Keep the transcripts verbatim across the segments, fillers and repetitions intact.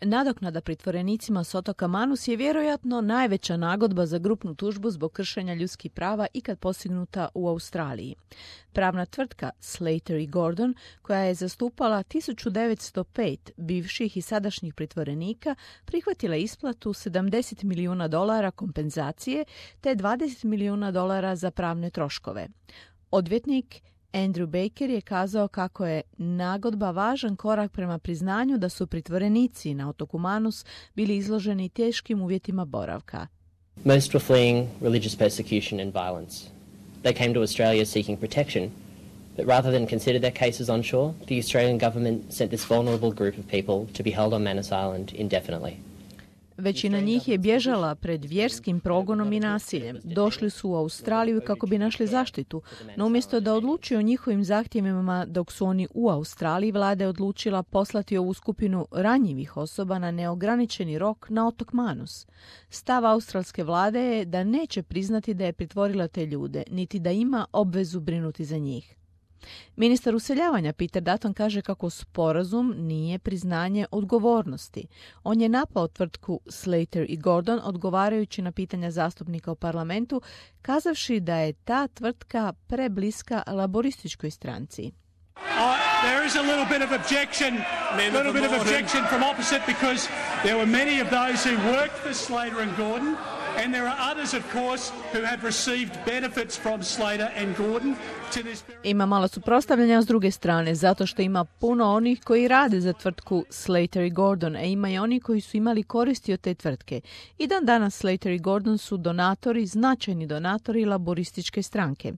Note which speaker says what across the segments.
Speaker 1: Nadoknada pritvorenicima s otoka Manus je vjerojatno najveća nagodba za grupnu tužbu zbog kršenja ljudskih prava ikad postignuta u Australiji. Pravna tvrtka Slater i Gordon, koja je zastupala tisuću devetsto pet bivših i sadašnjih pritvorenika, prihvatila isplatu sedamdeset milijuna dolara kompenzacije te dvadeset milijuna dolara za pravne troškove. Odvjetnik Andrew Baker je kazao kako je nagodba važan korak prema priznanju da su pritvorenici na otoku Manus bili izloženi teškim uvjetima boravka.
Speaker 2: Most were fleeing religious persecution and violence. They came to Australia seeking protection, but rather than consider their cases on shore, the Australian government sent this vulnerable group of people to be held on Manus Island indefinitely.
Speaker 1: Većina njih je bježala pred vjerskim progonom i nasiljem. Došli su u Australiju kako bi našli zaštitu, no umjesto da odlučuju o njihovim zahtjevima dok su oni u Australiji, vlada je odlučila poslati ovu skupinu ranjivih osoba na neograničeni rok na otok Manus. Stav australske vlade je da neće priznati da je pritvorila te ljude, niti da ima obvezu brinuti za njih. Ministar useljavanja Peter Dutton kaže kako sporazum nije priznanje odgovornosti. On je napao tvrtku Slater i Gordon odgovarajući na pitanja zastupnika u parlamentu, kazavši da je ta tvrtka prebliska laborističkoj stranci.
Speaker 3: Uh, there is a little bit of objection, a little bit of objection from opposite because there were many of those who worked for Slater and Gordon. And there are others, of course, who have received benefits from Slater and Gordon to this very...
Speaker 1: Ima malo suprotstavljanja s druge strane, zato što ima puno onih koji rade za tvrtku Slater i Gordon, a ima i oni koji su imali koristi od te tvrtke. I dan danas Slater i Gordon su donatori, značajni donatori laborističke stranke.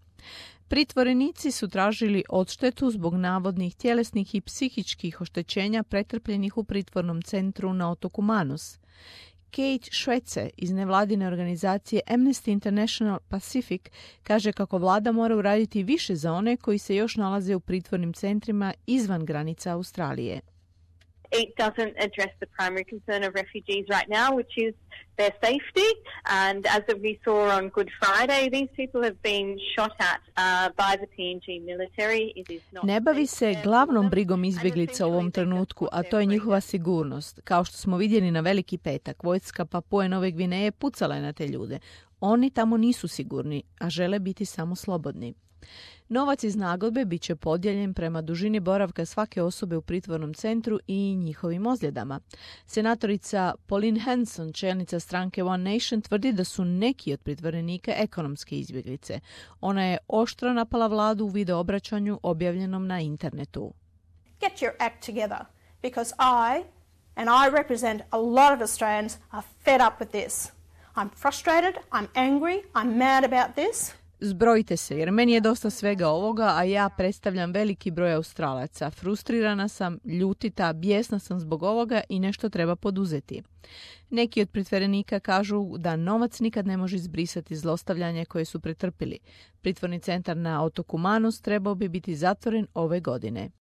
Speaker 1: Pritvorenici su tražili odštetu zbog navodnih tjelesnih i psihičkih oštećenja pretrpljenih u pritvornom centru na otoku Manus. Kate Švece iz nevladine organizacije Amnesty International Pacific kaže kako vlada mora uraditi više za one koji se još nalaze u pritvornim centrima izvan granica Australije.
Speaker 4: It doesn't address the primary concern of refugees right now, which is their safety. And as we saw on Good Friday, these people have been shot at uh, by the P N G military. It is not
Speaker 1: ne bavi se glavnom brigom izbjeglica u ovom trenutku, a to je njihova sigurnost. Kao što smo vidjeli na Veliki petak, vojska Papue Nove Gvineje pucala je na te ljude. Oni tamo nisu sigurni, a žele biti samo slobodni. Novac iz nagodbe bit će podijeljen prema dužini boravka svake osobe u pritvornom centru i njihovim ozljedama. Senatorica Pauline Hanson, čelnica stranke One Nation, tvrdi da su neki od pritvorenika ekonomske izbjeglice. Ona je oštro napala vladu u video obraćanju objavljenom na internetu.
Speaker 5: Get your act together, because I and I represent a lot of Australians are fed up with this. I'm frustrated, I'm angry, I'm mad about this.
Speaker 1: Zbrojite se, jer meni je dosta svega ovoga, a ja predstavljam veliki broj Australaca. Frustrirana sam, ljutita, bijesna sam zbog ovoga i nešto treba poduzeti. Neki od pritvorenika kažu da novac nikad ne može izbrisati zlostavljanje koje su pretrpili. Pritvorni centar na otoku Manus trebao bi biti zatvoren ove godine.